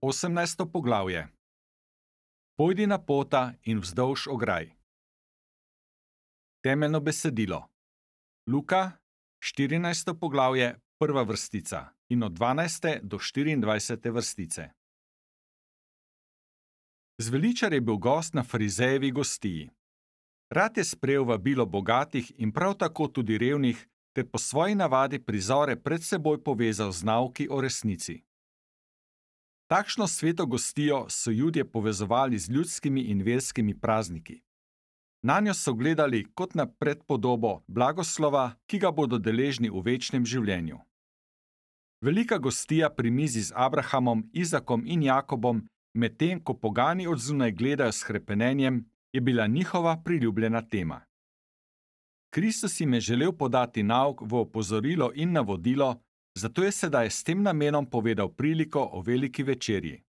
18. poglavje. Pojdi na pota in vzdolž ograj. Temeljno besedilo. Luka, 14. poglavje, prva vrstica in od 12. do 24. vrstice. Zveličar je bil gost na farizejevi gostiji. Rad je sprejel vabilo bogatih in prav tako tudi revnih, ter po svoji navadi prizore pred seboj povezal z nauki o resnici. Takšno sveto gostijo so Judje povezovali z ljudskimi in verskimi prazniki. Nanjo so gledali kot na predpodobo blagoslova, ki ga bodo deležni v večnem življenju. Velika gostija pri mizi z Abrahamom, Izakom in Jakobom, medtem ko pogani od zunaj gledajo s hrepenenjem, je bila njihova priljubljena tema. Kristus jim je želel podati nauk v opozorilo in navodilo, zato je sedaj s tem namenom povedal priliko o veliki večerji.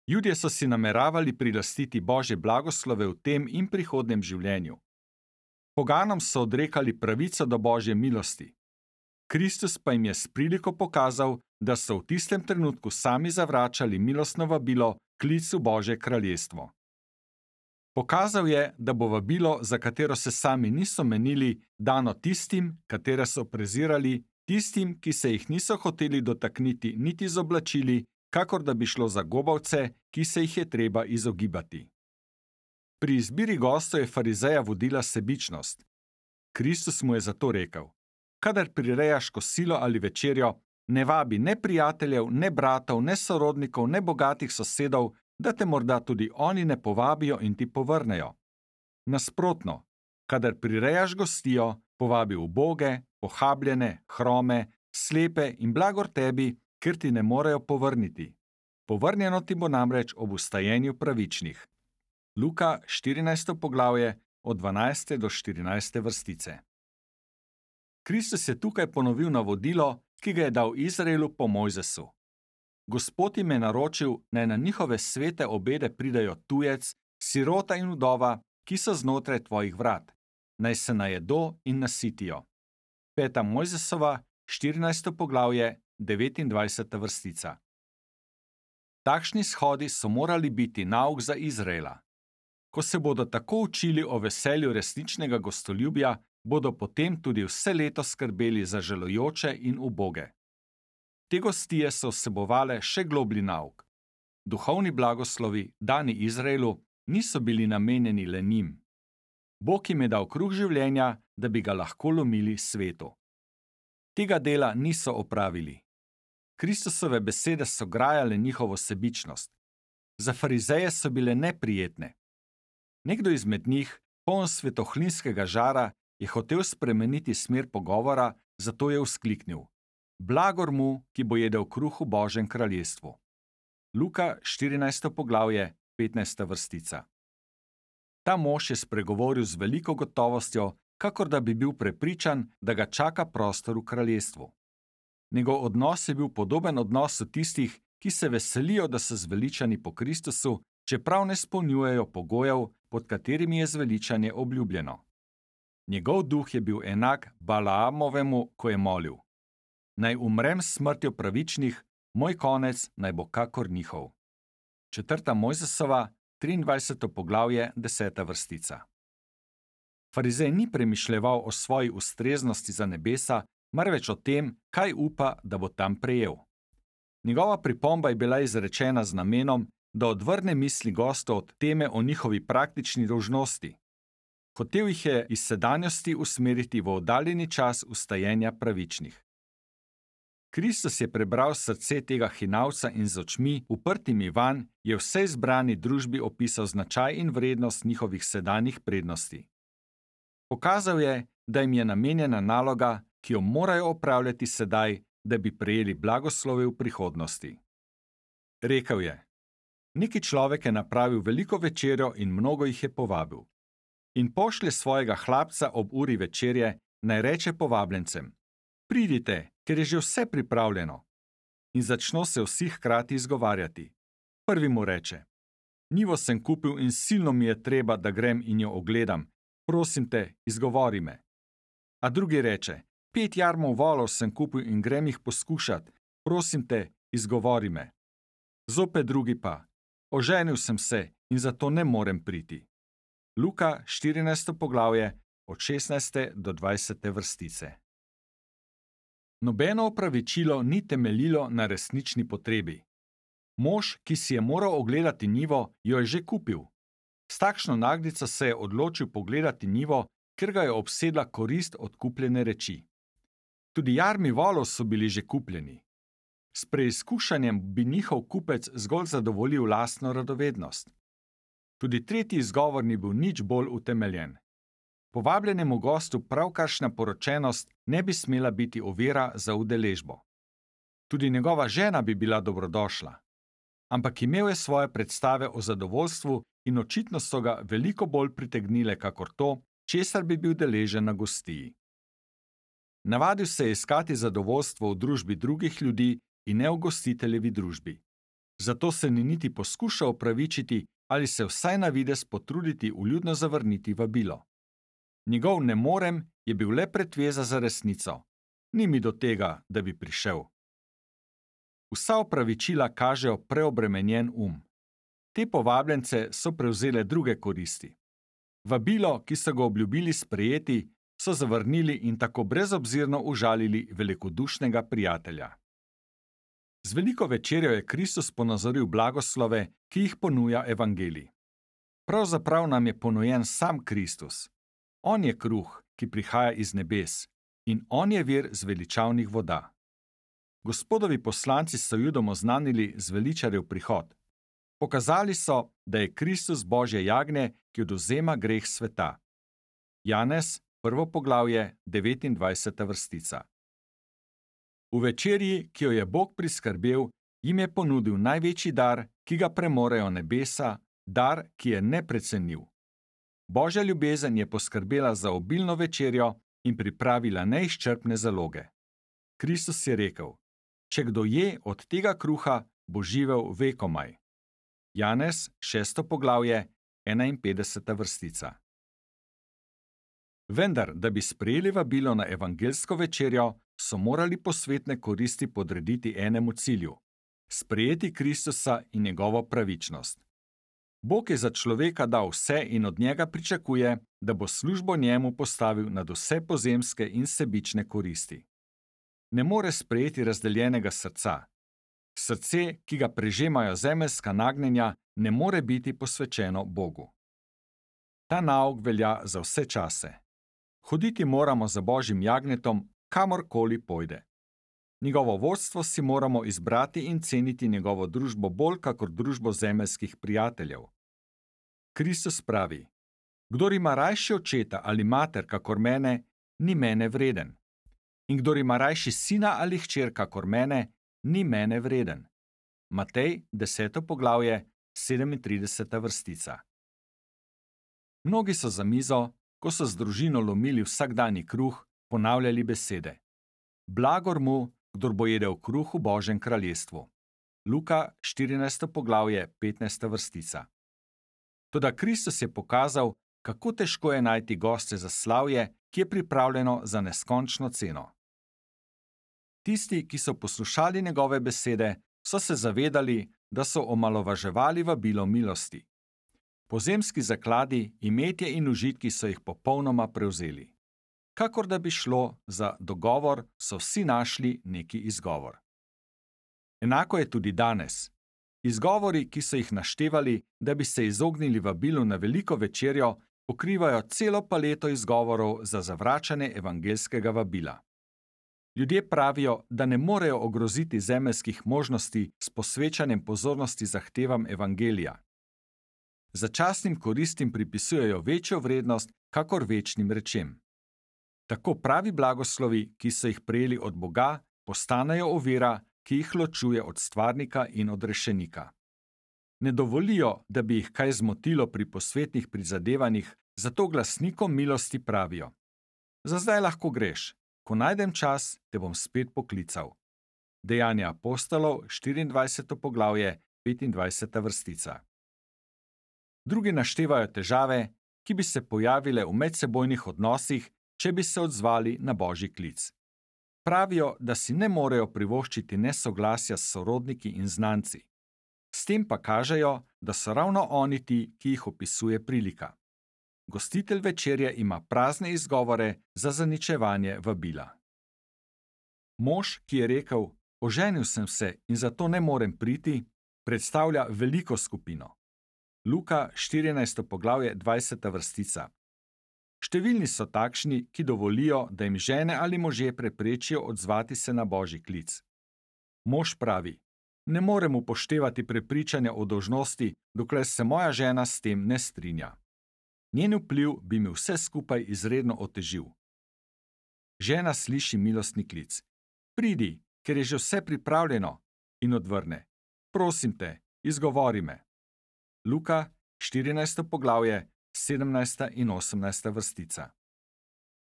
Judje so si nameravali prilastiti Božje blagoslove v tem in prihodnem življenju. Poganom so odrekali pravico do Božje milosti. Kristus pa jim je s priliko pokazal, da so v tistem trenutku sami zavračali milostno vabilo, klic v Božje kraljestvo. Pokazal je, da bo vabilo, za katero se sami niso menili, dano tistim, katere so prezirali, tistim, ki se jih niso hoteli dotakniti niti z oblačili, kakor da bi šlo za gobavce, ki se jih je treba izogibati. Pri izbiri gostov je farizeja vodila sebičnost. Kristus mu je zato rekel: kadar prirejaš kosilo ali večerjo, ne vabi ne prijateljev, ne bratov, ne sorodnikov, ne bogatih sosedov, da te morda tudi oni ne povabijo in ti povrnejo. Nasprotno, kadar prirejaš gostijo, povabi uboge, pohabljene, hrome, slepe in blagor tebi, ker ti ne morejo povrniti. Povrnjeno ti bo namreč ob vstajenju pravičnih. Luka, 14. poglavje, od 12. do 14. vrstice. Kristus je tukaj ponovil navodilo, ki ga je dal Izraelu po Mojzesu. Gospod jim je naročil, naj na njihove svete obede pridajo tujec, sirota in vdova, ki so znotraj tvojih vrat, naj se najedo in nasitijo. 5. Mojzesova, 14. poglavje, 29. vrstica. Takšni shodi so morali biti nauk za Izraela. Ko se bodo tako učili o veselju resničnega gostoljubja, bodo potem tudi vse leto skrbeli za žalujoče in uboge. Te gostije so vsebovale še globlji nauk. Duhovni blagoslovi, dani Izraelu, niso bili namenjeni le njim. Bog jim je dal kruh življenja, da bi ga lahko lomili svetu. Tega dela niso opravili. Kristusove besede so grajale njihovo sebičnost. Za farizeje so bile neprijetne. Nekdo izmed njih, poln svetohlinskega žara, je hotel spremeniti smer pogovora, zato je vzkliknil: blagor mu, ki bo jedel kruh v Božjem kraljestvu. Luka, 14. poglavje, 15. vrstica. Ta mož je spregovoril z veliko gotovostjo, kakor da bi bil prepričan, da ga čaka prostor v kraljestvu. Njegov odnos je bil podoben odnosu tistih, ki se veselijo, da so zveličani po Kristusu, čeprav ne izpolnjujejo pogojev, pod katerimi je zveličanje obljubljeno. Njegov duh je bil enak Balaamovemu, ko je molil: naj umrem s smrtjo pravičnih, moj konec naj bo kakor njihov. 4. Mojzesova, 23. poglavje, 10. vrstica. Farizej ni premišljeval o svoji ustreznosti za nebesa, marveč o tem, kaj upa, da bo tam prejel. Njegova pripomba je bila izrečena z namenom, da odvrne misli gostov od teme o njihovi praktični dolžnosti. Hotel jih je iz sedanjosti usmeriti v oddaljeni čas vstajenja pravičnih. Kristus je prebral srce tega hinavca in z očmi, uprtimi vanj, je vsej zbrani družbi opisal značaj in vrednost njihovih sedanjih prednosti. Pokazal je, da jim je namenjena naloga, ki jo morajo opravljati sedaj, da bi prejeli blagoslove v prihodnosti. Rekel je: neki človek je napravil veliko večerjo in mnogo jih je povabil. In pošlje svojega hlapca ob uri večerje, naj reče povabljencem: pridite, ker je že vse pripravljeno. In začno se vsi hkrati izgovarjati. Prvi mu reče: njivo sem kupil in silno mi je treba, da grem in jo ogledam. Prosim te, izgovori me. A drugi reče: 5 jarmov volov sem kupil in grem jih poskušat. Prosim te, izgovori me. Zopet drugi pa: oženil sem se in zato ne morem priti. Luka 14. poglavje od 16. do 20. vrstice. Nobeno opravičilo ni temeljilo na resnični potrebi. Mož, ki si je moral ogledati njivo, jo je že kupil. S takšno naglico se je odločil pogledati njivo, ker ga je obsedla korist od kupljene reči. Tudi jarmi volov so bili že kupljeni. S preizkušanjem bi njihov kupec zgolj zadovoljil lastno radovednost. Tudi tretji izgovor ni bil nič bolj utemeljen. Povabljenemu gostu pravkaršna poročenost ne bi smela biti ovira za udeležbo. Tudi njegova žena bi bila dobrodošla. Ampak imel je svoje predstave o zadovoljstvu in očitno so ga veliko bolj pritegnile kakor to, česar bi bil deležen na gostiji. Navadil se je iskati zadovoljstvo v družbi drugih ljudi in ne v gostiteljevi družbi. Zato se ni niti poskušal opravičiti ali se vsaj na videz potruditi vljudno zavrniti vabilo. Njegov ne morem je bil le pretveza za resnico. Ni mi do tega, da bi prišel. Vsa opravičila kažejo preobremenjen Te povabljence so prevzele druge koristi. Vabilo, ki so ga obljubili sprejeti, so zavrnili in tako brezobzirno užalili velikodušnega prijatelja. Z veliko večerjo je Kristus ponazoril blagoslove, ki jih ponuja evangelij. Pravzaprav nam je ponujen sam Kristus. On je kruh, ki prihaja iz nebes, in on je vir zveličavnih voda. Gospodovi poslanci so Judom oznanili zveličarjev prihod. Pokazali so, da je Kristus Božje jagnje, ki odvzema greh sveta. Janez, 1. poglavje, 29. vrstica. V večerji, ki jo je Bog priskrbel, jim je ponudil največji dar, ki ga premorejo nebesa, dar, ki je neprecenljiv. Božja ljubezen je poskrbela za obilno večerjo in pripravila neizčrpne zaloge. Kristus je rekel: če kdo je od tega kruha, bo živel vekomaj. Janez, 6. poglavje, 51. vrstica. Vendar, da bi sprejeli vabilo na evangeljsko večerjo, so morali posvetne koristi podrediti enemu cilju: sprejeti Kristusa in njegovo pravičnost. Bog je za človeka dal vse in od njega pričakuje, da bo službo njemu postavil nad vse pozemske in sebične koristi. Ne more sprejeti razdeljenega srca. Srce, ki ga prežemajo zemeljska nagnjenja, ne more biti posvečeno Bogu. Ta nauk velja za vse čase. Hoditi moramo za Božjim jagnjetom, kamorkoli pojde. Njegovo vodstvo si moramo izbrati in ceniti njegovo družbo bolj kakor družbo zemeljskih prijateljev. Kristus pravi: kdor ima rajši očeta ali mater kakor mene, ni mene vreden. In kdor ima rajši sina ali hčer kakor mene, ni mene vreden. Matej, 10. poglavje, 37. vrstica. Mnogi so za mizo, ko so z družino lomili vsakdanji kruh, ponavljali besede: blagor mu, kdor bo jedel kruh v Božjem kraljestvu. Luka, 14. poglavje, 15. vrstica. Toda Kristus je pokazal, kako težko je najti goste za slavje, ki je pripravljeno za neskončno ceno. Tisti, ki so poslušali njegove besede, so se zavedali, da so omalovaževali vabilo milosti. Pozemski zakladi, imetje in užitki so jih popolnoma prevzeli. Kakor da bi šlo za dogovor, so vsi našli neki izgovor. Enako je tudi danes. Izgovori, ki so jih naštevali, da bi se izognili vabilu na veliko večerjo, pokrivajo celo paleto izgovorov za zavračanje evangeljskega vabila. Ljudje pravijo, da ne morejo ogroziti zemeljskih možnosti s posvečanjem pozornosti zahtevam evangelija. Začasnim koristim pripisujejo večjo vrednost kakor večnim rečem. Tako pravi blagoslovi, ki so jih prejeli od Boga, postanejo ovira, ki jih ločuje od stvarnika in od rešenika. Ne dovolijo, da bi jih kaj zmotilo pri posvetnih prizadevanjih, zato glasnikom milosti pravijo: za zdaj lahko greš, ko najdem čas, te bom spet poklical. Dejanja apostolov, 24. poglavje, 25. vrstica. Drugi naštevajo težave, ki bi se pojavile v medsebojnih odnosih, če bi se odzvali na Božji klic. Pravijo, da si ne morejo privoščiti nesoglasja s sorodniki in znanci. S tem pa kažejo, da so ravno oni ti, ki jih opisuje prilika. Gostitelj večerje ima prazne izgovore za zaničevanje vabila. Mož, ki je rekel: "Oženil sem se in zato ne morem priti", predstavlja veliko skupino. Luka 14. poglavje 20. vrstica. Številni so takšni, ki dovolijo, da jim žene ali možje preprečijo odzvati se na božji klic. Mož pravi: "Ne morem upoštevati prepričanja o dolžnosti, dokler se moja žena s tem ne strinja. Njen vpliv bi mi vse skupaj izredno otežil." Žena sliši milostni klic: "Pridi, ker je že vse pripravljeno", in odvrne: "Prosim te, izgovori me." Luka 14. poglavje 17. in 18. vrstica.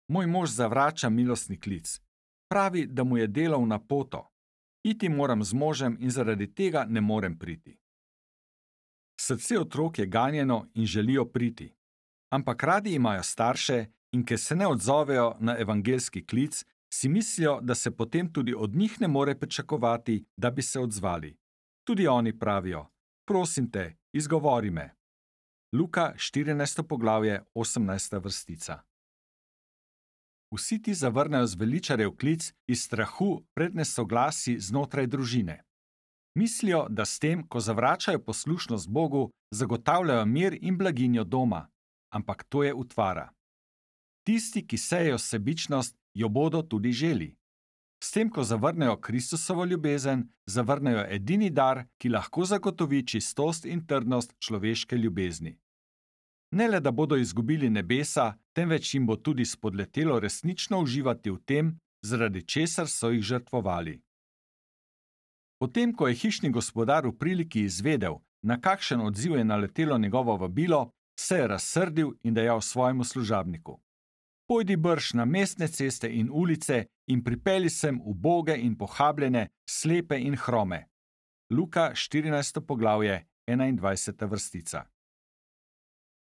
Moj mož zavrača milostni klic. Pravi, da mu je delo v napoto. Iti moram z možem in zaradi tega ne morem priti. Srce otrok je ganjeno in želijo priti. Ampak radi imajo starše in ker se ne odzovejo na evangeljski klic, si mislijo, da se potem tudi od njih ne more pričakovati, da bi se odzvali. Tudi oni pravijo: "Prosim te, izgovori me." Luka 14. poglavje 18. vrstica. Vsi ti zavrnejo zveličarjev klic iz strahu pred nesoglasi znotraj družine. Mislijo, da s tem, ko zavračajo poslušnost Bogu, zagotavljajo mir in blaginjo doma, ampak to je utvara. Tisti, ki sejejo sebičnost, jo bodo tudi želi. S tem, ko zavrnejo Kristusovo ljubezen, zavrnejo edini dar, ki lahko zagotovi čistost in trdnost človeške ljubezni. Ne le, da bodo izgubili nebesa, temveč jim bo tudi spodletelo resnično uživati v tem, zaradi česar so jih žrtvovali. Potem, ko je hišni gospodar v priliki izvedel, na kakšen odziv je naletelo njegovo vabilo, se je razsrdil in dejal svojemu služabniku: "Pojdi brž na mestne ceste in ulice in pripelji sem uboge in pohabljene, slepe in hrome." Luka 14. poglavje 21. vrstica.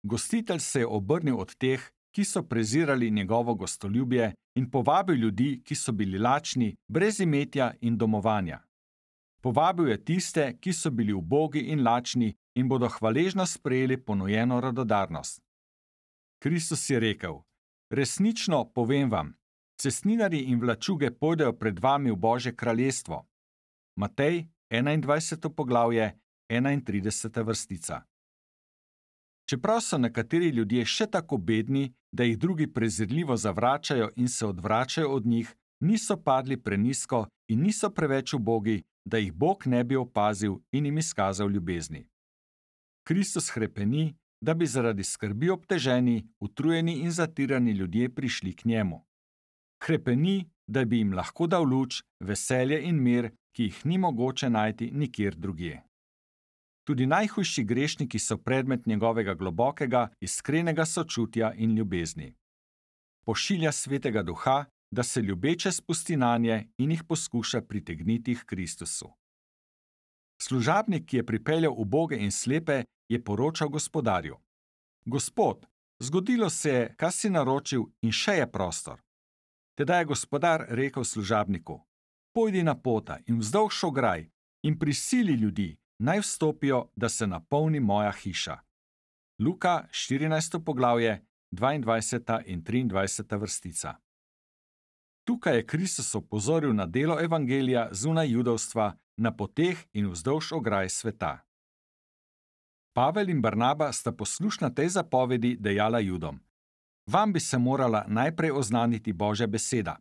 Gostitelj se je obrnil od teh, ki so prezirali njegovo gostoljubje, in povabil ljudi, ki so bili lačni, brez imetja in domovanja. Povabil je tiste, ki so bili ubogi in lačni in bodo hvaležno sprejeli ponujeno radodarnost. Kristus je rekel: "Resnično povem vam, cestninarji in vlačuge pojdejo pred vami v Božje kraljestvo." Matej 21. poglavje 31. vrstica. Čeprav so nekateri ljudje še tako bedni, da jih drugi prezirljivo zavračajo in se odvračajo od njih, niso padli prenizko in niso preveč ubogi, da jih Bog ne bi opazil in jim izkazal ljubezni. Kristus hrepeni, da bi zaradi skrbi obteženi, utrujeni in zatirani ljudje prišli k njemu. Hrepeni, da bi jim lahko dal luč, veselje in mir, ki jih ni mogoče najti nikjer drugje. Tudi najhujši grešniki so predmet njegovega globokega, iskrenega sočutja in ljubezni. Pošilja Svetega Duha, da se ljubeče spusti nanje in jih poskuša pritegniti k Kristusu. Služabnik, ki je pripeljal uboge in slepe, je poročal gospodarju: "Gospod, zgodilo se je, kar si naročil, in še je prostor." Tedaj je gospodar rekel služabniku: "Pojdi na pota in vzdolž ograj in prisili ljudi, naj vstopijo, da se napolni moja hiša." Luka 14. poglavje 22. in 23. vrstica. Tukaj je Kristus opozoril na delo evangelija zunaj judovstva, na poteh in vzdolž ograj sveta. Pavel in Barnaba sta poslušna tej zapovedi dejala Judom: "Vam bi se morala najprej oznaniti Božja beseda.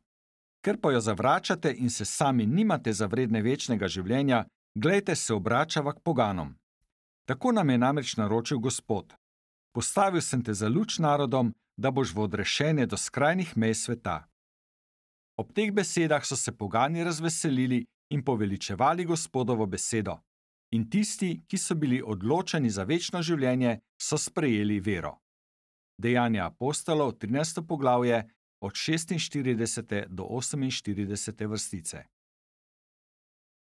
Ker pa jo zavračate in se sami nimate za vredne večnega življenja, glejte, se obračava k poganom. Tako nam je namreč naročil Gospod: Postavil sem te za luč narodom, da boš v odrešenje do skrajnih mej sveta." Ob teh besedah so se pogani razveselili in poveličevali Gospodovo besedo, in tisti, ki so bili odločeni za večno življenje, so sprejeli vero. Dejanja apostolov 13. poglavje od 46. do 48. vrstice.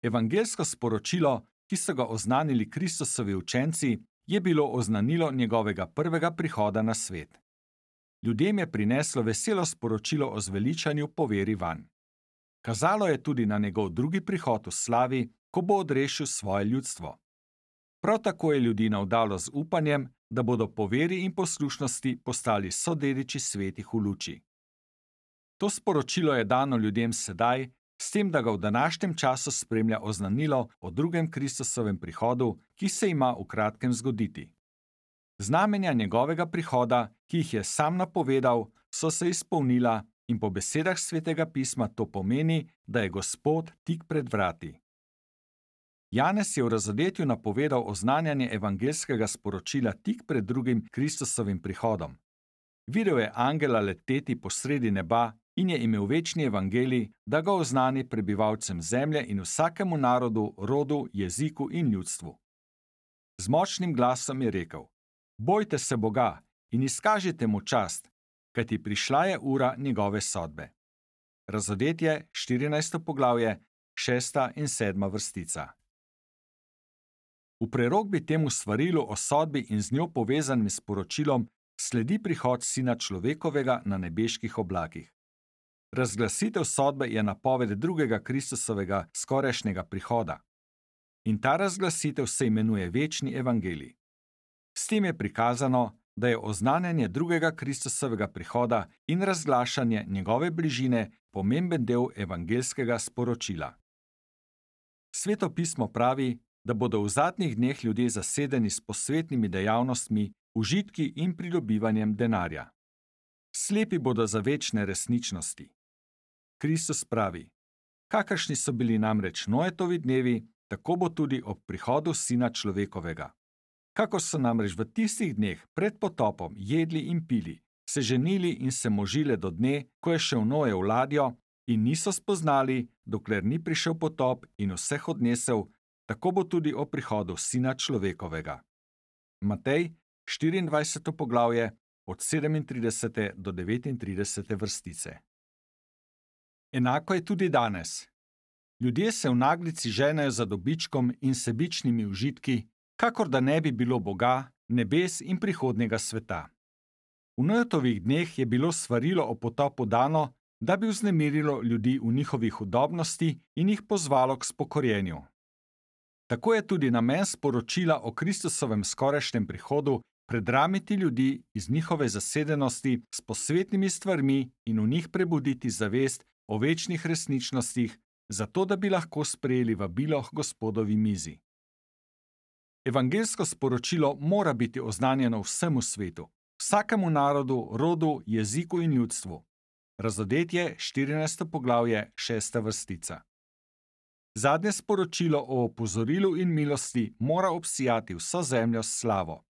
Evangeljsko sporočilo, ki so ga oznanili Kristusovi učenci, je bilo oznanilo njegovega prvega prihoda na svet. Ljudem je prineslo veselo sporočilo o zveličanju po veri vanj. Kazalo je tudi na njegov drugi prihod v slavi, ko bo odrešil svoje ljudstvo. Prav tako je ljudi navdalo z upanjem, da bodo po veri in poslušnosti postali sodediči svetih v luči. To sporočilo je dano ljudem sedaj, s tem, da ga v današnjem času spremlja oznanilo o drugem Kristusovem prihodu, ki se ima v kratkem zgoditi. Znamenja njegovega prihoda, ki jih je sam napovedal, so se izpolnila in po besedah Svetega pisma to pomeni, da je Gospod tik pred vrati. Janez je v razodetju napovedal oznanjanje evangeljskega sporočila tik pred drugim Kristusovim prihodom. Videl je angela leteti po sredi neba in je imel večni evangelij, da ga oznani prebivalcem zemlje in vsakemu narodu, rodu, jeziku in ljudstvu. Z močnim glasom je rekel: Bojte se Boga in izkažite mu čast, kajti prišla je ura njegove sodbe. Razodetje, 14. poglavje, 6. in 7. vrstica. V prerokbi temu svarilu o sodbi in z njo povezanim sporočilom sledi prihod Sina človekovega na nebeških oblakih. Razglasitev sodbe je napoved drugega Kristusovega skorajšnjega prihoda. In ta razglasitev se imenuje večni evangelij. S tem je prikazano, da je oznanjanje drugega Kristusovega prihoda in razglašanje njegove bližine pomemben del evangeljskega sporočila. Sveto pismo pravi, da bodo v zadnjih dneh ljudje zasedeni s posvetnimi dejavnostmi, užitki in pridobivanjem denarja. Slepi bodo za večne resničnosti. Kristus pravi: Kakršni so bili namreč Noetovi dnevi, tako bo tudi ob prihodu Sina človekovega. Kakor so namreč v tistih dneh pred potopom jedli in pili, se ženili in se možile do dne, ko je šel Noe v ladjo, in niso spoznali, dokler ni prišel potop in vseh odnesel, tako bo tudi ob prihodu Sina človekovega. Matej, 24. poglavje, od 37. do 39. vrstice. Enako je tudi danes. Ljudje se v naglici ženejo za dobičkom in sebičnimi užitki, kakor da ne bi bilo Boga, nebes in prihodnjega sveta. V Noetovih dneh je bilo svarilo o potopu dano, da bi vznemirilo ljudi v njihovi hudobnosti in jih pozvalo k spokorjenju. Tako je tudi namen sporočila o Kristusovem skorajšnjem prihodu predramiti ljudi iz njihove zasedenosti s posvetnimi stvarmi in v njih prebuditi zavest o večnih resničnostih, zato da bi lahko sprejeli vabilo k Gospodovi mizi. Evangeljsko sporočilo mora biti oznanjeno vsemu svetu, vsakemu narodu, rodu, jeziku in ljudstvu. Razodetje, 14. poglavje, 6. vrstica. Zadnje sporočilo o opozorilu in milosti mora obsijati vso zemljo s slavo.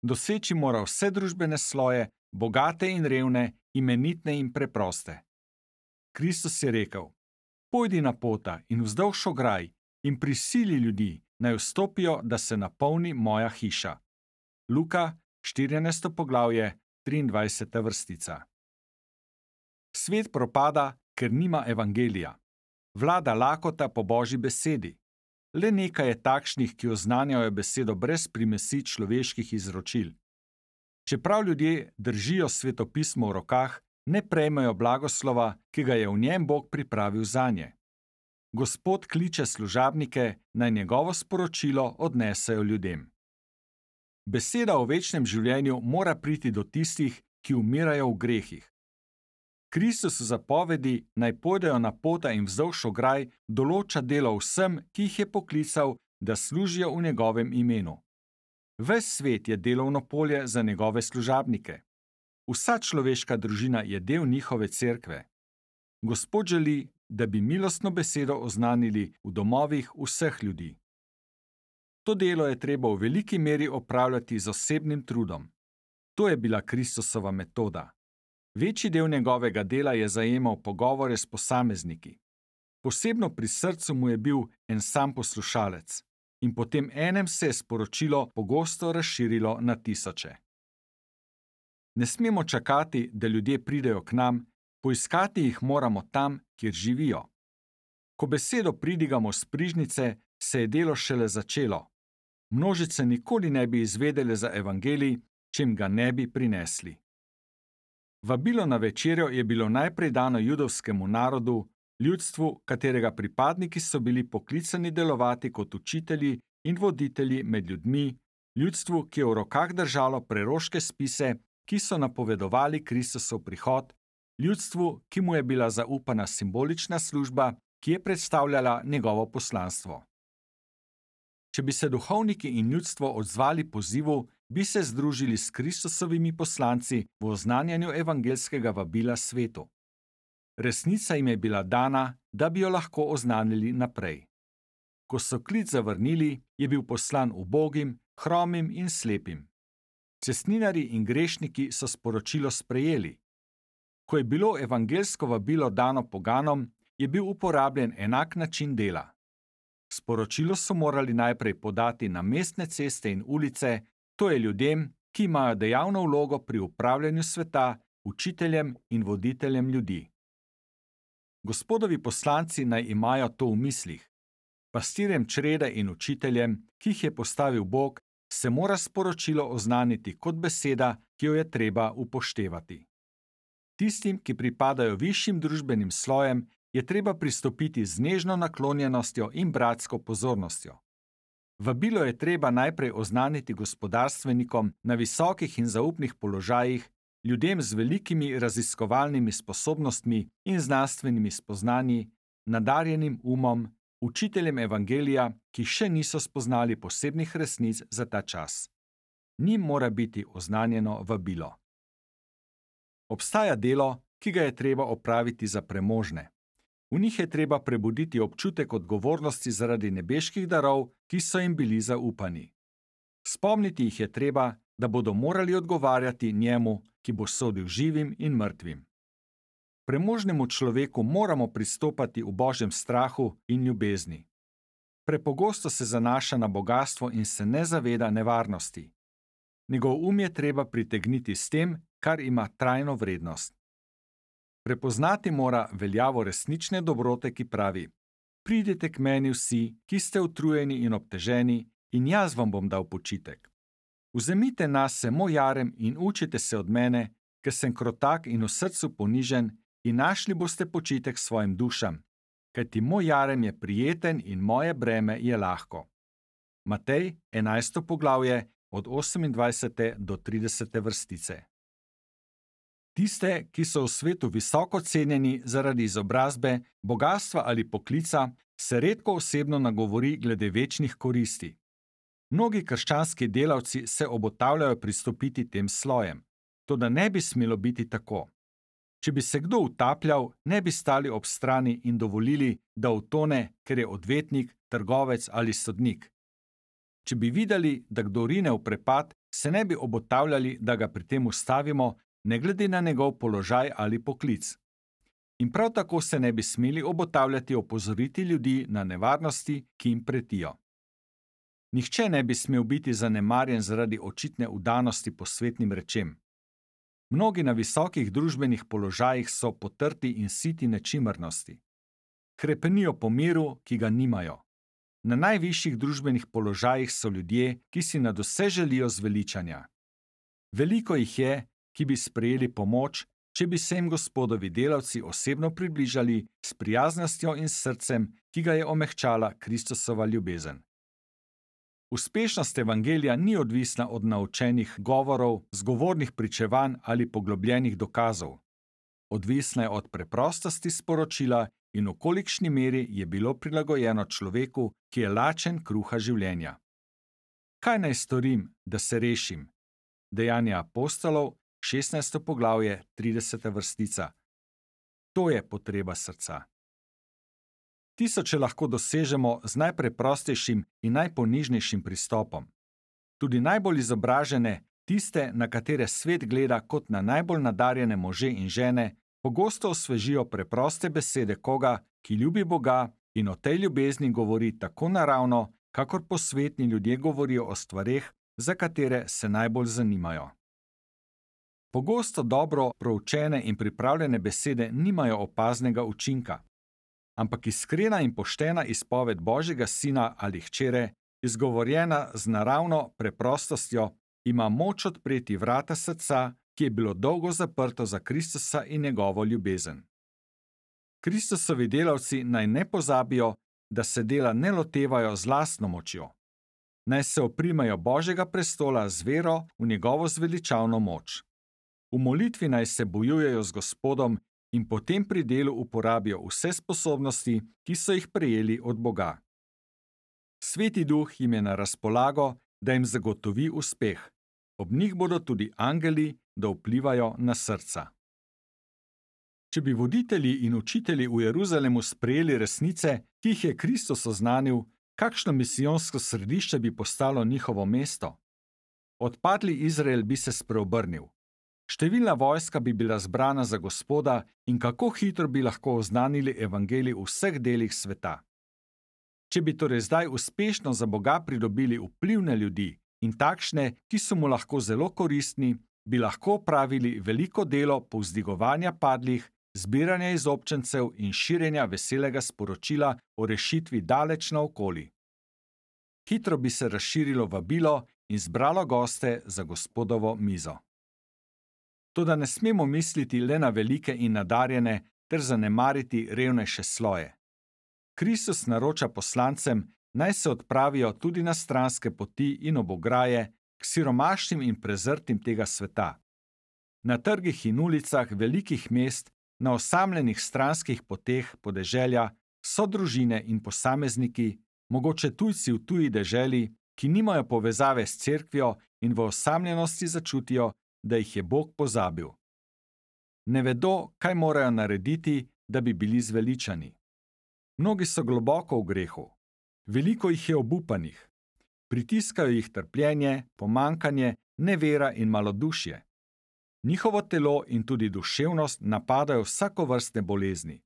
Doseči mora vse družbene sloje, bogate in revne, imenitne in preproste. Kristus je rekel: Pojdi na pota in vzdolž ograj in prisili ljudi, naj vstopijo, da se napolni moja hiša. Luka, 14. poglavje, 23. vrstica. Svet propada, ker nima evangelija. Vlada lakota po Božji besedi. Le nekaj je takšnih, ki oznanjajo besedo brez primesi človeških izročil. Čeprav ljudje držijo svetopismo v rokah, ne prejmejo blagoslova, ki ga je v njem Bog pripravil zanje. Gospod kliče služabnike, naj njegovo sporočilo odnesejo ljudem. Beseda o večnem življenju mora priti do tistih, ki umirajo v grehih. Kristus v zapovedi, naj pojdejo na pota in vzdolž ograj, določa delo vsem, ki jih je poklical, da služijo v njegovem imenu. Ves svet je delovno polje za njegove služabnike. Vsa človeška družina je del njihove cerkve. Gospod želi, da bi milostno besedo oznanili v domovih vseh ljudi. To delo je treba v veliki meri opravljati z osebnim trudom. To je bila Kristusova metoda. Večji del njegovega dela je zajemal pogovore s posamezniki. Posebno pri srcu mu je bil en sam poslušalec in potem enem se je sporočilo pogosto razširilo na tisoče. Ne smemo čakati, da ljudje pridejo k nam, poiskati jih moramo tam, kjer živijo. Ko besedo pridigamo s prižnice, se je delo šele začelo. Množice nikoli ne bi izvedele za evangelij, čem ga ne bi prinesli. Vabilo na večerjo je bilo najprej dano judovskemu narodu, ljudstvu, katerega pripadniki so bili poklicani delovati kot učitelji in voditelji med ljudmi, ljudstvu, ki je v rokah držalo preroške spise, ki so napovedovali Kristusov prihod, ljudstvu, ki mu je bila zaupana simbolična služba, ki je predstavljala njegovo poslanstvo. Če bi se duhovniki in ljudstvo odzvali pozivu, bi se združili s Kristusovimi poslanci v oznanjanju evangelskega vabila svetu. Resnica jim je bila dana, da bi jo lahko oznanili naprej. Ko so klic zavrnili, je bil poslan ubogim, hromim in slepim. Cestninarji in grešniki so sporočilo sprejeli. Ko je bilo evangelsko vabilo dano poganom, je bil uporabljen enak način dela. Sporočilo so morali najprej podati na mestne ceste in ulice, to je ljudem, ki imajo dejavno vlogo pri upravljanju sveta, učiteljem in voditeljem ljudi. Gospodovi poslanci naj imajo to v mislih. Pastirjem črede in učiteljem, ki jih je postavil Bog, se mora sporočilo oznaniti kot beseda, ki jo je treba upoštevati. Tistim, ki pripadajo višjim družbenim slojem, je treba pristopiti z nežno naklonjenostjo in bratsko pozornostjo. Vabilo je treba najprej oznaniti gospodarstvenikom na visokih in zaupnih položajih, ljudem z velikimi raziskovalnimi sposobnostmi in znanstvenimi spoznanji, nadarjenim umom, učiteljem evangelija, ki še niso spoznali posebnih resnic za ta čas. Njim mora biti oznanjeno vabilo. Obstaja delo, ki ga je treba opraviti za premožne. V njih je treba prebuditi občutek odgovornosti zaradi nebeških darov, ki so jim bili zaupani. Spomniti jih je treba, da bodo morali odgovarjati njemu, ki bo sodil živim in mrtvim. Premožnemu človeku moramo pristopati v Božjem strahu in ljubezni. Prepogosto se zanaša na bogastvo in se ne zaveda nevarnosti. Njegov je treba pritegniti s tem, kar ima trajno vrednost. Prepoznati mora veljavo resnične dobrote, ki pravi: Pridite k meni vsi, ki ste utrujeni in obteženi, in jaz vam bom dal počitek. Vzemite nase moj jarem in učite se od mene, ker sem krotak in v srcu ponižen, in našli boste počitek svojim dušam, kajti moj jarem je prijeten in moje breme je lahko. Matej, 11. poglavje, od 28. do 30. vrstice. Tiste, ki so v svetu visoko cenjeni zaradi izobrazbe, bogastva ali poklica, se redko osebno nagovori glede večnih koristi. Mnogi krščanski delavci se obotavljajo pristopiti tem slojem, toda ne bi smelo biti tako. Če bi se kdo utapljal, ne bi stali ob strani in dovolili, da utone, ker je odvetnik, trgovec ali sodnik. Če bi videli, da kdo rine v prepad, se ne bi obotavljali, da ga pri tem ustavimo, ne glede na njegov položaj ali poklic. In prav tako se ne bi smeli obotavljati opozoriti ljudi na nevarnosti, ki jim pretijo. Nihče ne bi smel biti zanemarjen zaradi očitne vdanosti posvetnim rečem. Mnogi na visokih družbenih položajih so potrti in siti nečimrnosti. Hrepenijo po miru, ki ga nimajo. Na najvišjih družbenih položajih so ljudje, ki si nadvse želijo zveličanja. Veliko jih je, ki bi sprejeli pomoč, če bi se jim Gospodovi delavci osebno približali s prijaznostjo in srcem, ki ga je omehčala Kristusova ljubezen. Uspešnost evangelija ni odvisna od naučenih govorov, zgovornih pričevanj ali poglobljenih dokazov. Odvisna je od preprostosti sporočila in v kolikšni meri je bilo prilagojeno človeku, ki je lačen kruha življenja. Kaj naj storim, da se rešim? Dejanja apostolov, 16. poglavje, 30. vrstica. To je potreba srca. Tisoče lahko dosežemo z najpreprostejšim in najponižnejšim pristopom. Tudi najbolj izobražene, tiste, na katere svet gleda kot na najbolj nadarjene može in žene, pogosto osvežijo preproste besede koga, ki ljubi Boga in o tej ljubezni govori tako naravno, kakor posvetni ljudje govorijo o stvareh, za katere se najbolj zanimajo. Pogosto dobro proučene in pripravljene besede nimajo opaznega učinka. Ampak iskrena in poštena izpoved Božjega sina ali hčere, izgovorjena z naravno preprostostjo, ima moč odpreti vrata srca, ki je bilo dolgo zaprto za Kristusa in njegovo ljubezen. Kristusovi delavci naj ne pozabijo, da se dela ne lotevajo z lastno močjo. naj se oprimejo Božjega prestola z vero v njegovo zveličavno moč. V molitvi naj se bojujejo z Gospodom in potem pri delu uporabijo vse sposobnosti, ki so jih prejeli od Boga. Sveti Duh jim je na razpolago, da jim zagotovi uspeh. Ob njih bodo tudi angeli, da vplivajo na srca. Če bi voditelji in učitelji v Jeruzalemu sprejeli resnice, ki jih je Kristus oznanil, kakšno misijonsko središče bi postalo njihovo mesto? Odpadli Izrael bi se spreobrnil. Številna vojska bi bila zbrana za Gospoda in kako hitro bi lahko oznanili evangelij v vseh delih sveta. Če bi torej zdaj uspešno za Boga pridobili vplivne ljudi in takšne, ki so mu lahko zelo koristni, bi lahko opravili veliko delo povzdigovanja padlih, zbiranja izobčencev in širjenja veselega sporočila o rešitvi daleč naokoli. Hitro bi se razširilo vabilo in zbralo goste za Gospodovo mizo. Toda ne smemo misliti le na velike in nadarjene ter zanemariti revnejše sloje. Kristus naroča poslancem, naj se odpravijo tudi na stranske poti in ob ograje k siromašnim in prezrtim tega sveta. Na trgih in ulicah velikih mest, na osamljenih stranskih poteh podeželja so družine in posamezniki, mogoče tujci v tuji deželi, ki nimajo povezave s cerkvijo in v osamljenosti začutijo, da jih je Bog pozabil. Ne vedo, kaj morajo narediti, da bi bili zveličani. Mnogi so globoko v grehu. Veliko jih je obupanih. Pritiskajo jih trpljenje, pomankanje, nevera in malodušje. Njihovo telo in tudi duševnost napadajo vsakovrstne bolezni.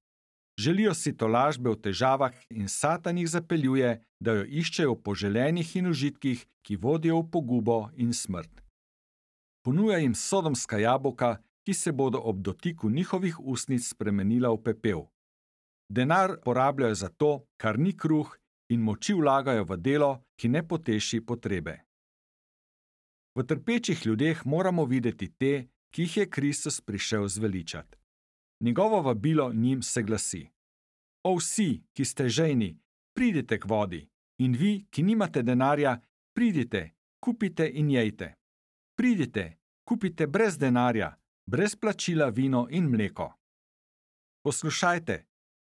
Želijo si tolažbe v težavah in Satan jih zapeljuje, da jo iščejo v poželenih in užitkih, ki vodijo v pogubo in smrt. Ponuja jim sodomska jabolka, ki se bodo ob dotiku njihovih ustnic spremenila v pepel. Denar porabljajo za to, kar ni kruh, in moči vlagajo v delo, ki ne poteši potrebe. V trpečih ljudeh moramo videti te, ki jih je Kristus prišel zveličati. Njegovo vabilo njim se glasi: O vsi, ki ste žejni, pridite k vodi, in vi, ki nimate denarja, pridite, kupite in jejte. Pridite, kupite brez denarja, brez plačila vino in mleko.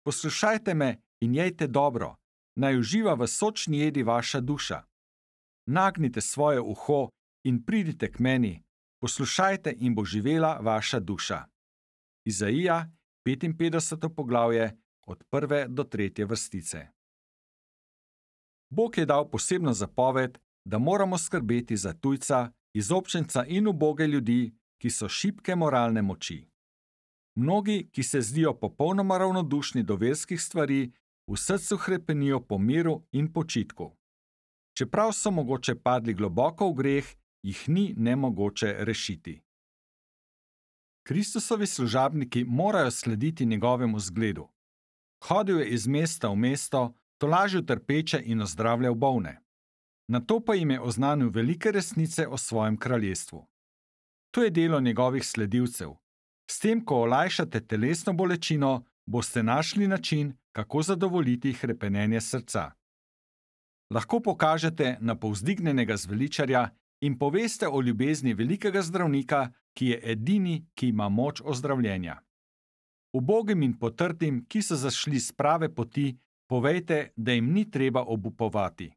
Poslušajte me in jejte dobro, naj uživa v sočni jedi vaša duša. Nagnite svoje uho in pridite k meni, poslušajte in bo živela vaša duša. Izaija, 55. poglavje, od 1. do 3. vrstice. Bog je dal posebno zapoved, da moramo skrbeti za tujca, izobčenca in uboge ljudi, ki so šibke moralne moči. Mnogi, ki se zdijo popolnoma ravnodušni do verskih stvari, v srcu hrepenijo po miru in počitku. Čeprav so mogoče padli globoko v greh, jih ni nemogoče rešiti. Kristusovi služabniki morajo slediti njegovemu zgledu. Hodil je iz mesta v mesto, tolažil trpeče in ozdravljal bolne. Nato pa jim je oznanil velike resnice o svojem kraljestvu. To je delo njegovih sledilcev. S tem, ko olajšate telesno bolečino, boste našli način, kako zadovoljiti hrepenenje srca. Lahko pokažete na povzdignjenega zveličarja in poveste o ljubezni velikega zdravnika, ki je edini, ki ima moč ozdravljenja. Ubogim in potrtim, ki so zašli s prave poti, povejte, da jim ni treba obupovati.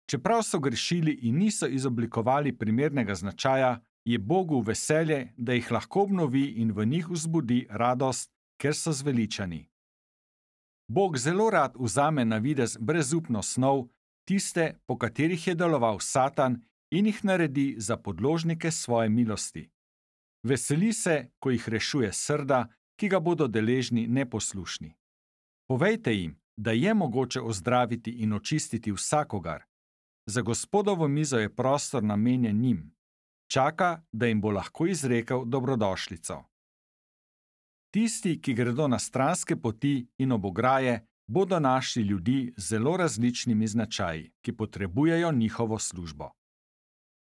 Čeprav so grešili in niso izoblikovali primernega značaja, je Bogu veselje, da jih lahko obnovi in v njih vzbudi radost, ker so zveličani. Bog zelo rad vzame na videz brezupno snov, tiste, po katerih je deloval Satan, in jih naredi za podložnike svoje milosti. Veseli se, ko jih rešuje srda, ki ga bodo deležni neposlušni. Povejte jim, da je mogoče ozdraviti in očistiti vsakogar. Za Gospodovo mizo je prostor namenjen njim. Čaka, da jim bo lahko izrekel dobrodošlico. Tisti, ki gredo na stranske poti in ob ograje, bodo našli ljudi z zelo različnimi značaji, ki potrebujejo njihovo službo.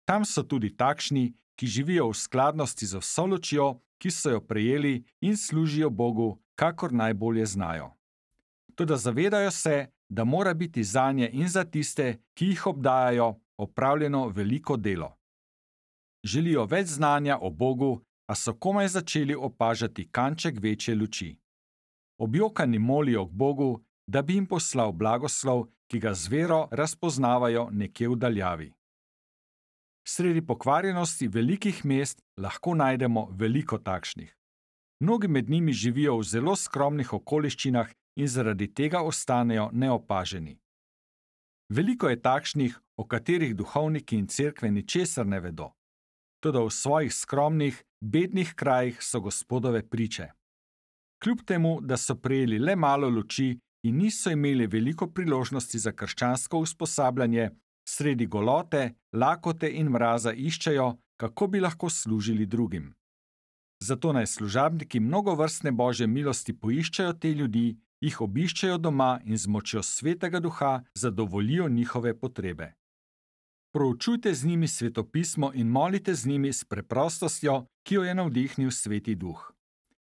Tam so tudi takšni, ki živijo v skladnosti z vso lučjo, ki so jo prejeli in služijo Bogu, kakor najbolje znajo. Toda zavedajo se, da mora biti zanje in za tiste, ki jih obdajajo, opravljeno veliko delo. Želijo več znanja o Bogu, a so komaj začeli opažati kanček večje luči. Objokani molijo k Bogu, da bi jim poslal blagoslov, ki ga z vero razpoznavajo nekje v daljavi. Sredi pokvarjenosti velikih mest lahko najdemo veliko takšnih. Mnogi med njimi živijo v zelo skromnih okoliščinah in zaradi tega ostanejo neopaženi. Veliko je takšnih, o katerih duhovniki in cerkve ničesar ne vedo. Toda v svojih skromnih, bednih krajih so Gospodove priče. Kljub temu, da so prejeli le malo luči in niso imeli veliko priložnosti za krščansko usposabljanje, sredi golote, lakote in mraza iščejo, kako bi lahko služili drugim. Zato naj služabniki mnogovrstne Božje milosti poiščejo te ljudi, jih obiščejo doma in z močjo Svetega Duha zadovoljijo njihove potrebe. Proučujte z njimi svetopismo in molite z njimi s preprostostjo, ki jo je navdihnil Sveti Duh.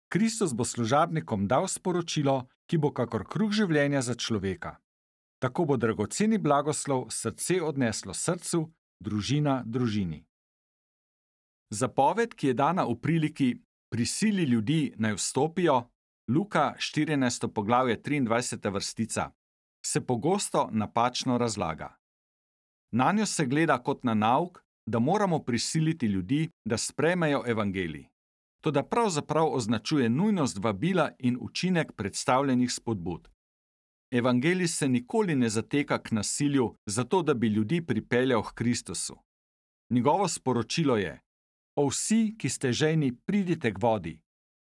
Kristus bo služabnikom dal sporočilo, ki bo kakor kruh življenja za človeka. Tako bo dragoceni blagoslov srce odneslo srcu, družina družini. Zapoved, ki je dana v priliki prisili ljudi naj vstopijo, Luka 14. poglavje 23. vrstica, se pogosto napačno razlaga. Nanjo se gleda kot na nauk, da moramo prisiliti ljudi, da sprejmejo evangelij. Toda pravzaprav označuje nujnost vabila in učinek predstavljenih spodbud. Evangelij se nikoli ne zateka k nasilju, zato da bi ljudi pripeljal k Kristusu. Njegovo sporočilo je: O vsi, ki ste žejni, pridite k vodi.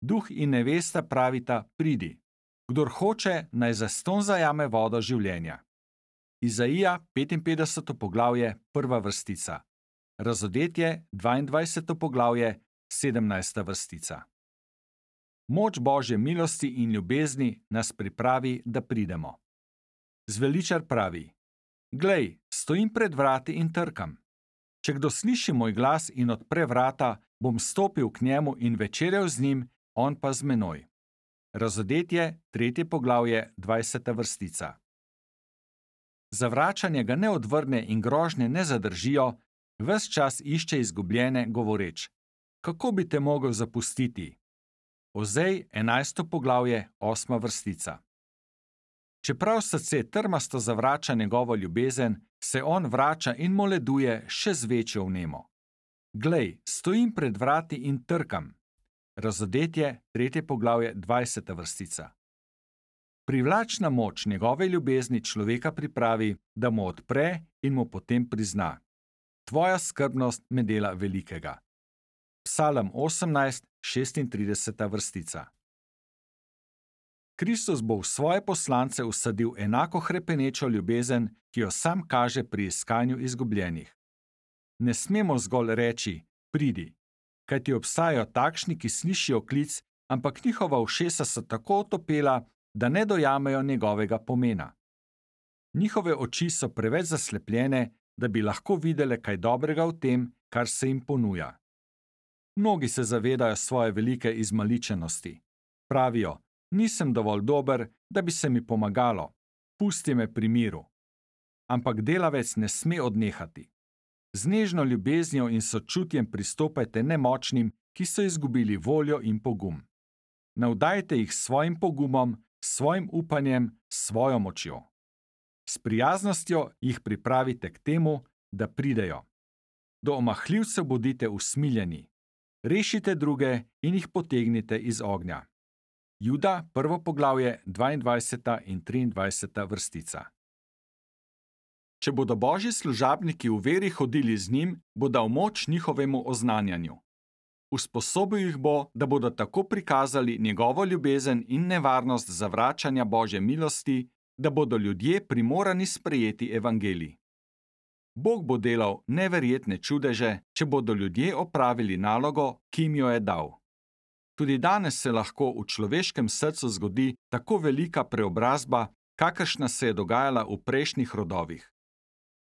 Duh in nevesta pravita: pridi. Kdor hoče, naj zastonj zajame vodo življenja. Izaija 55. poglavje, 1. vrstica. Razodetje 22. poglavje, 17. vrstica. Moč Božje milosti in ljubezni nas pripravi, da pridemo. Zveličar pravi: Glej, stojim pred vrati in trkam. Če kdo sliši moj glas in odpre vrata, bom stopil k njemu in večerjal z njim, on pa z menoj. Razodetje 3. poglavje, 20. vrstica. Zavračanje ga ne odvrne in grožnje ne zadržijo, ves čas išče izgubljene, govoreč: Kako bi te mogel zapustiti? Ozej 11. poglavje, 8. vrstica. Čeprav srce trmasto zavrača njegovo ljubezen, se on vrača in moleduje še z večjo vnemo. Glej, stojim pred vrati in trkam. Razodetje 3. poglavje, 20. vrstica. Privlačna moč njegove ljubezni človeka pripravi, da mu odpre in mu potem prizna: Tvoja skrbnost me dela velikega. Psalm 18, 36. vrstica. Kristus bo v svoje poslance vsadil enako hrepenečo ljubezen, ki jo sam kaže pri iskanju izgubljenih. Ne smemo zgolj reči: pridi, kajti obstajajo takšni, ki slišijo klic, ampak njihova ušesa so tako otopela, da ne dojamejo njegovega pomena. Njihove oči so preveč zaslepljene, da bi lahko videle kaj dobrega v tem, kar se jim ponuja. Mnogi se zavedajo svoje velike izmaličenosti. Pravijo: nisem dovolj dober, da bi se mi pomagalo, pusti me pri miru. Ampak delavec ne sme odnehati. Z nežno ljubeznijo in sočutjem pristopajte nemočnim, ki so izgubili voljo in pogum. Navdajte jih s svojim pogumom, s svojim upanjem, s svojo močjo. S prijaznostjo jih pripravite k temu, da pridejo. Do omahljivcev bodite usmiljeni. Rešite druge in jih potegnite iz ognja. Juda 1. poglavje 22. in 23. vrstica. Če bodo Božji služabniki v veri hodili z njim, bo dal moč njihovemu oznanjanju. Usposobil jih bo, da bodo tako prikazali njegovo ljubezen in nevarnost zavračanja Božje milosti, da bodo ljudje primorani sprejeti evangelij. Bog bo delal neverjetne čudeže, če bodo ljudje opravili nalogo, ki jim jo je dal. Tudi danes se lahko v človeškem srcu zgodi tako velika preobrazba, kakršna se je dogajala v prejšnjih rodovih.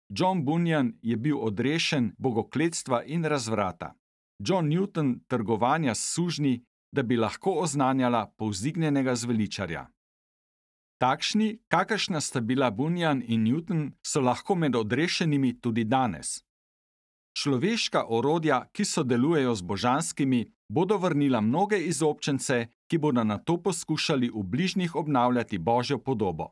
John Bunyan je bil odrešen bogokletstva in razvrata. John Newton trgovanja s sužnji, da bi lahko oznanjala povzdignjenega zveličarja. Takšni, kakršna sta bila Bunyan in Newton, so lahko med odrešenimi tudi danes. Človeška orodja, ki sodelujejo z božanskimi, bodo vrnila mnoge izobčence, ki bodo nato poskušali v bližnjih obnavljati Božjo podobo.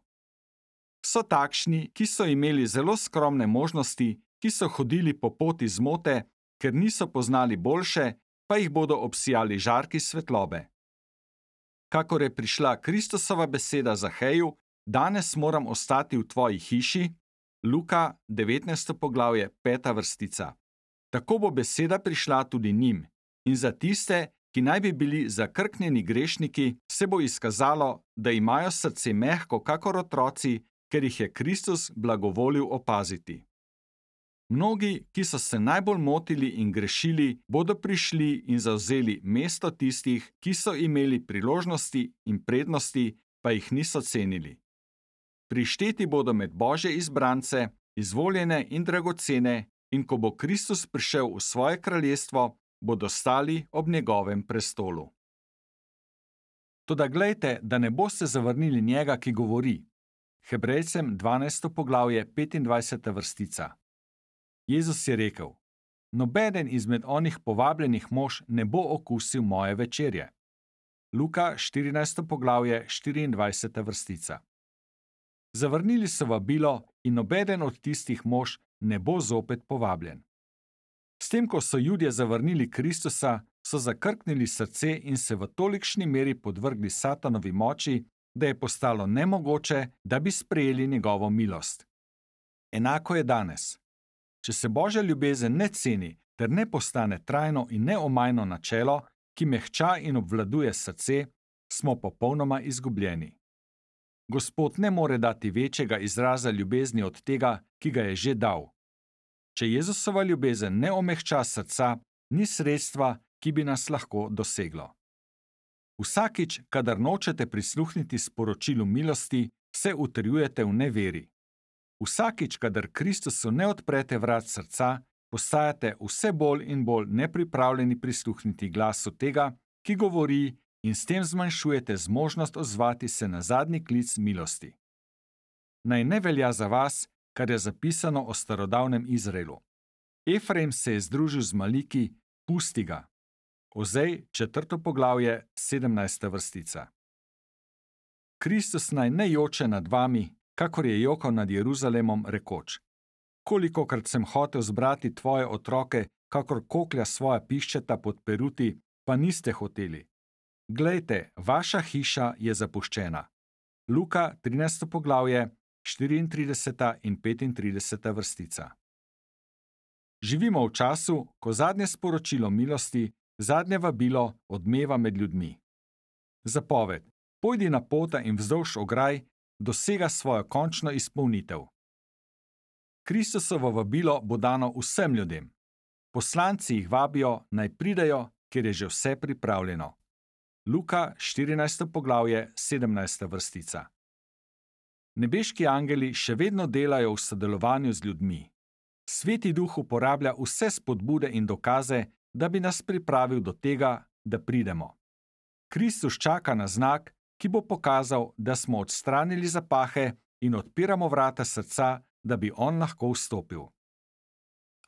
So takšni, ki so imeli zelo skromne možnosti, ki so hodili po poti zmote, ker niso poznali boljše, pa jih bodo obsijali žarki svetlobe. Kakor je prišla Kristusova beseda Zaheju, danes moram ostati v tvoji hiši, Luka 19. poglavje 5. vrstica. Tako bo beseda prišla tudi njim, in za tiste, ki naj bi bili zakrknjeni grešniki, se bo izkazalo, da imajo srce mehko kakor otroci, ker jih je Kristus blagovolil opaziti. Mnogi, ki so se najbolj motili in grešili, bodo prišli in zavzeli mesto tistih, ki so imeli priložnosti in prednosti, pa jih niso cenili. Prišteti bodo med Božje izbrance, izvoljene in dragocene, in ko bo Kristus prišel v svoje kraljestvo, bodo stali ob njegovem prestolu. Toda glejte, da ne boste zavrnili njega, ki govori. Hebrejcem 12. poglavje 25. vrstica. Jezus je rekel: Nobeden izmed onih povabljenih mož ne bo okusil moje večerje. Luka 14. poglavje 24. vrstica. Zavrnili so vabilo in nobeden od tistih mož ne bo zopet povabljen. S tem, ko so Judje zavrnili Kristusa, so zakrknili srce in se v tolikšni meri podvrgli Satanovi moči, da je postalo nemogoče, da bi sprejeli njegovo milost. Enako je danes. Če se Božja ljubezen ne ceni ter ne postane trajno in neomajno načelo, ki mehča in obvladuje srce, smo popolnoma izgubljeni. Gospod ne more dati večjega izraza ljubezni od tega, ki ga je že dal. Če Jezusova ljubezen ne omehča srca, ni sredstva, ki bi nas lahko doseglo. Vsakič, kadar nočete prisluhniti sporočilu milosti, se utrjujete v neveri. Vsakič, kadar Kristusu ne odprete vrat srca, postajate vse bolj in bolj nepripravljeni prisluhniti glasu tega, ki govori, in s tem zmanjšujete zmožnost odzvati se na zadnji klic milosti. Naj ne velja za vas, kar je zapisano o starodavnem Izraelu. Efraim se je združil z Maliki, pusti ga. Ozej 4. poglavje 17. vrstica. Kristus naj ne joče nad vami, kakor je jokal nad Jeruzalemom, rekoč: Kolikokrat sem hotel zbrati tvoje otroke, kakor koklja svoja piščeta pod peruti, pa niste hoteli. Glejte, vaša hiša je zapuščena. Luka 13. poglavje 34. in 35. vrstica. Živimo v času, ko zadnje sporočilo milosti, zadnje vabilo odmeva med ljudmi. Zapoved: pojdi na pota in vzdolž ograj, dosega svojo končno izpolnitev. Kristusovo vabilo bo dano vsem ljudem. Poslanci jih vabijo, naj pridejo, ker je že vse pripravljeno. Luka 14. poglavje 17. vrstica. Nebeški angeli še vedno delajo v sodelovanju z ljudmi. Sveti Duh uporablja vse spodbude in dokaze, da bi nas pripravil do tega, da pridemo. Kristus čaka na znak, ki bo pokazal, da smo odstranili zapahe in odpiramo vrata srca, da bi on lahko vstopil.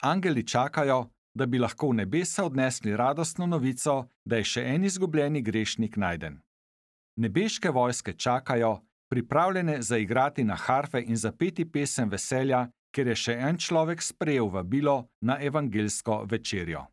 Angeli čakajo, da bi lahko v nebesa odnesli radostno novico, da je še en izgubljeni grešnik najden. Nebeške vojske čakajo, pripravljene zaigrati na harfe in zapeti pesem veselja, ker je še en človek sprejel vabilo na evangeljsko večerjo.